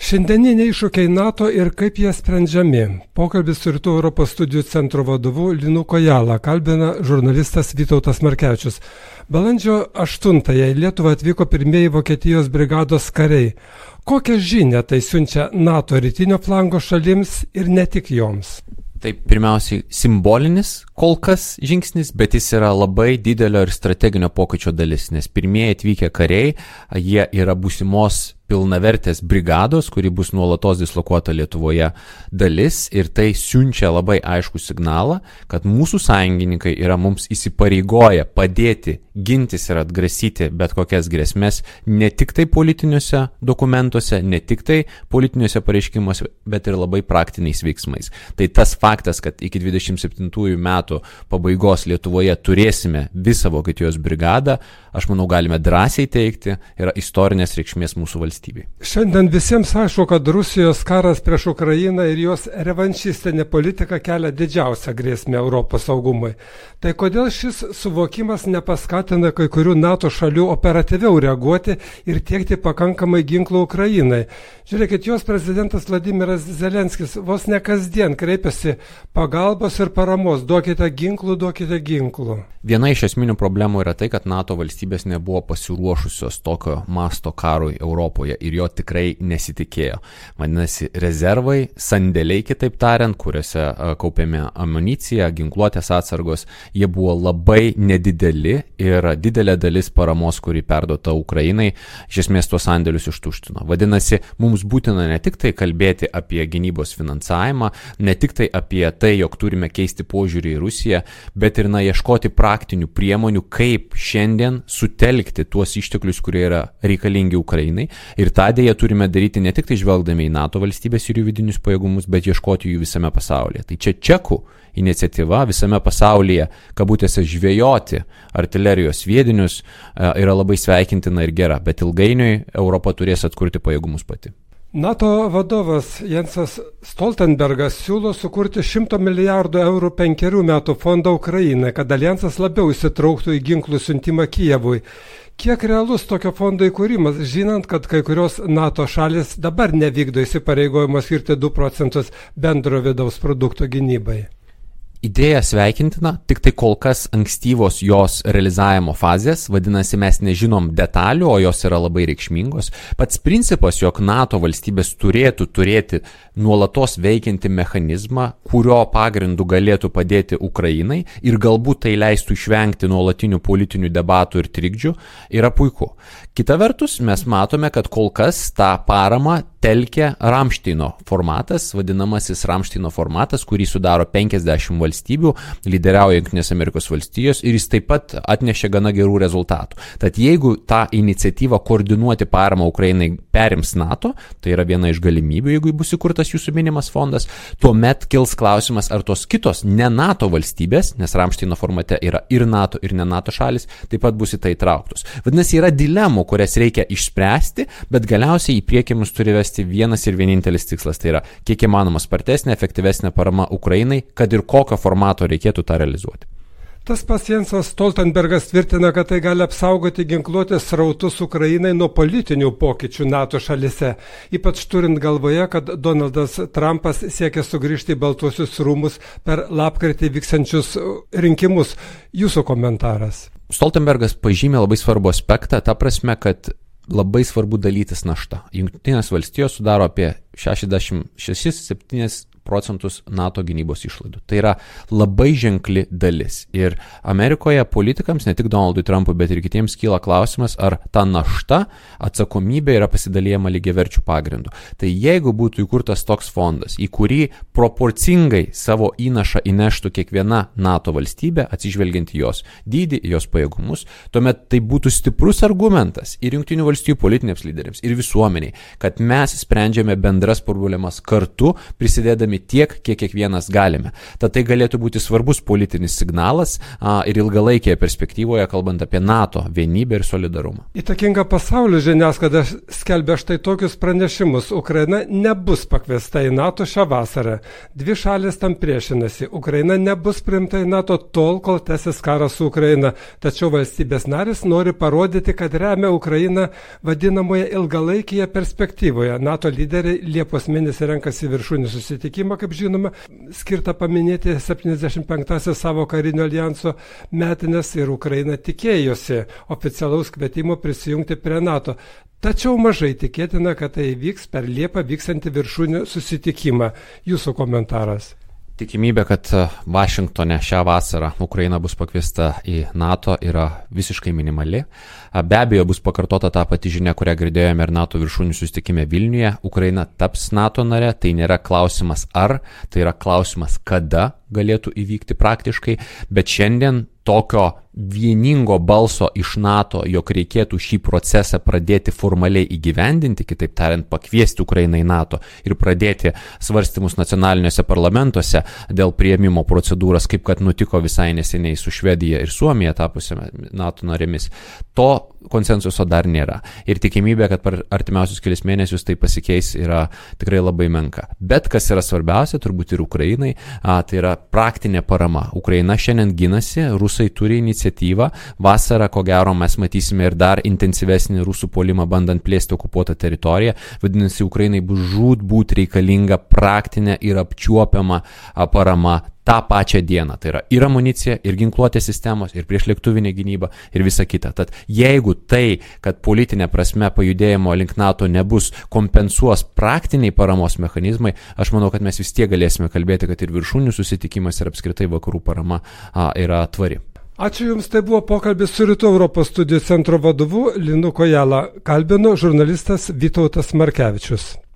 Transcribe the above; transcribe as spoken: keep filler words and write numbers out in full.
Šiandieniniai iššūkiai NATO ir kaip jie sprendžiami. Pokalbis su Rytų Europos studijų centro vadovu Linu Kojala kalbina žurnalistas Vytautas Markevičius. Balandžio aštuntąją į Lietuvą atvyko pirmieji Vokietijos brigados kariai. Kokią žinią tai siunčia NATO rytinio flango šalims ir ne tik joms? Tai pirmiausiai simbolinis kol kas žingsnis, bet jis yra labai didelio ir strateginio pokyčio dalis, nes pirmieji atvykę kariai, jie yra būsimos pilnavertės brigados, kuri bus nuolatos dislokuota Lietuvoje dalis, ir tai siunčia labai aiškų signalą, kad mūsų sąjungininkai yra mums įsipareigoję padėti gintis ir atgrasyti bet kokias grėsmės ne tik tai politiniuose dokumentuose, ne tik tai politiniuose pareiškimuose, bet ir labai praktiniais veiksmais. Tai tas faktas, kad iki dvidešimt septintųjų metų pabaigos Lietuvoje turėsime visą Vokietijos brigadą, aš manau galime drąsiai teigti, yra istorinės reikšmės mūsų valstybei. Šiandien visiems aišku, kad Rusijos karas prieš Ukrainą ir jos revanšistinė politika kelia didžiausią grėsmę Europos saugumui. Tai kodėl šis suvokimas nepaskatina kai kurių NATO šalių operatyviau reaguoti ir tiekti pakankamai ginklų Ukrainai? Žiūrėkit, jos prezidentas Vladimiras Zelenskis vos ne kasdien kreipiasi pagalbos ir paramos. Duokite ginklų, duokite ginklų. Viena iš esminių problemų yra tai, kad NATO valstybės nebuvo pasiruošusios tokio masto karui Europoje ir jo tikrai nesitikėjo. Vadinasi, rezervai, sandėliai, kitaip tariant, kuriuose kaupiami amunicija, ginkluotės atsargos, jie buvo labai nedideli ir didelė dalis paramos, kuri perduota Ukrainai, iš esmės tuos sandėlius ištuštino. Vadinasi, mums būtina ne tik tai kalbėti apie gynybos finansavimą, ne tik tai apie tai, jog turime keisti požiūrį į Rusiją, bet ir na, ieškoti praktinių priemonių, kaip šiandien sutelkti tuos išteklius, kurie yra reikalingi Ukrainai. Ir tą dėją turime daryti ne tik tai žvelgdami į NATO valstybės ir jų vidinius pajėgumus, bet ieškoti jų visame pasaulyje. Tai čia čekų iniciatyva visame pasaulyje, kabutėse žvejoti artilerijos sviedinius, yra labai sveikintina ir gera, bet ilgainiui Europa turės atkurti pajėgumus pati. NATO vadovas Jensas Stoltenbergas siūlo sukurti šimto milijardų eurų penkerių metų fondą Ukrainai, kad alijansas labiau įsitrauktų į ginklų siuntimą Kijevui. Kiek realus tokio fondo įkūrimas, žinant, kad kai kurios NATO šalis dabar nevykdo įsipareigojimo skirti du procentus bendro vidaus produkto gynybai? Idėja sveikintina, tik tai kol kas ankstyvos jos realizavimo fazės, vadinasi, mes nežinom detalių, o jos yra labai reikšmingos. Pats principas, jog NATO valstybės turėtų turėti nuolatos veikiantį mechanizmą, kurio pagrindu galėtų padėti Ukrainai ir galbūt tai leistų išvengti nuolatinių politinių debatų ir trikdžių, yra puiku. Kita vertus, mes matome, kad kol kas tą paramą telkia Ramšteino formatas, vadinamasis Ramšteino formatas, kurį sudaro penkiasdešimt valstybių, lyderiauja Jungtinės Amerikos valstijos ir jis taip pat atnešė gana gerų rezultatų. Tad jeigu tą iniciatyvą koordinuoti paramą Ukrainai perims NATO, tai yra viena iš galimybių, jeigu bus įkurtas jūsų minimas fondas, tuomet kils klausimas, ar tos kitos ne NATO valstybės, nes Ramšteino formate yra ir NATO, ir ne NATO šalis, taip pat bus į tai įtrauktos. Vadinasi, yra dilemų, kurias reikia išspręsti, bet galiausiai į priekį mus turi vesti vienas ir vienintelis tikslas, tai yra kiek įmanoma spartesnė, efektyvesnė parama Ukrainai, kad ir kokio formato reikėtų tą realizuoti. Tas pats Jensas Stoltenbergas tvirtina, kad tai gali apsaugoti ginkluotės srautus Ukrainai nuo politinių pokyčių NATO šalise, ypač turint galvoje, kad Donaldas Trumpas siekia sugrįžti į Baltuosius rūmus per lapkritį vyksiančius rinkimus. Jūsų komentaras. Stoltenbergas pažymė labai svarbų aspektą, ta prasme, kad labai svarbu dalytis naštą. Jungtinės valstijos sudaro apie šešiasdešimt šešis septynis procentus NATO gynybos išlaidų. Tai yra labai ženkli dalis. Ir Amerikoje politikams, ne tik Donaldui Trumpui, bet ir kitiems kyla klausimas, ar ta našta, atsakomybė yra pasidalijama lygiaverčių pagrindų. Tai jeigu būtų įkurtas toks fondas, į kurį proporcingai savo įnašą įneštų kiekviena NATO valstybė, atsižvelgiant į jos dydį, į jos pajėgumus, tuomet tai būtų stiprus argumentas ir Jungtinių valstijų politiniams lyderiams, ir visuomeniai, kad mes sprendžiame bendras problemas kartu, prisidėdami padėdami tiek, kiek kiekvienas galime. Tad tai galėtų būti svarbus politinis signalas a, ir ilgalaikėje perspektyvoje, kalbant apie NATO vienybę ir solidarumą. Įtakinga pasaulio žiniasklaida skelbia štai tokius pranešimus. Ukraina nebus pakviesta į NATO šią vasarą. Dvi šalis tam priešinasi. Ukraina nebus priimta į NATO tol, kol tęsis karas su Ukraina. Tačiau valstybės narės nori parodyti, kad remia Ukrainą vadinamoje ilgalaikėje perspektyvoje. NATO lyderiai Liepos mėnesį renkasi viršūnių susitikimą, kaip žinoma, skirtą paminėti septyniasdešimt penktąsias savo karinio alijanso metinės ir Ukraina tikėjosi oficialaus kvietimo prisijungti prie NATO. Tačiau mažai tikėtina, kad tai vyks per Liepą vyksantį viršūnių susitikimą. Jūsų komentaras. Tikimybė, kad Vašingtone šią vasarą Ukraina bus pakviesta į NATO, yra visiškai minimali. Be abejo, bus pakartota ta pati žinia, kurią girdėjome ir NATO viršūnių susitikime Vilniuje. Ukraina taps NATO nare, tai nėra klausimas ar, tai yra klausimas kada galėtų įvykti praktiškai, bet šiandien tokio vieningo balso iš NATO, jog reikėtų šį procesą pradėti formaliai įgyvendinti, kitaip tariant, pakviesti Ukrainą į NATO ir pradėti svarstymus nacionaliniuose parlamentuose dėl priėmimo procedūros, kaip kad nutiko visai neseniai su Švedija ir Suomija tapusiame NATO narėmis. To konsensuso dar nėra. Ir tikimybė, kad per artimiausius kelias mėnesius tai pasikeis, yra tikrai labai menka. Bet kas yra svarbiausia, turbūt ir Ukrainai, a, tai yra praktinė parama. Ukraina šiandien ginasi, rusai turi iniciatyvą. Vasarą, ko gero, mes matysime ir dar intensyvesnį rusų puolimą, bandant plėsti okupuotą teritoriją. Vadinasi, Ukrainai bus žūtbūt reikalinga praktinė ir apčiuopiama a, parama tą pačią dieną. Tai yra ir amunicija, ir ginkluotės sistemos, ir priešlėktuvinė gynyba, ir visa kita. Tad jeigu tai, kad politinė prasme pajudėjimo link NATO nebus, kompensuos praktiniai paramos mechanizmai, aš manau, kad mes vis tiek galėsime kalbėti, kad ir viršūnių susitikimas ir apskritai vakarų parama a, yra tvari. Ačiū Jums, tai buvo pokalbis su Rytų Europos studijų centro vadovu Linu Kojala. Kalbino žurnalistas Vytautas Markevičius.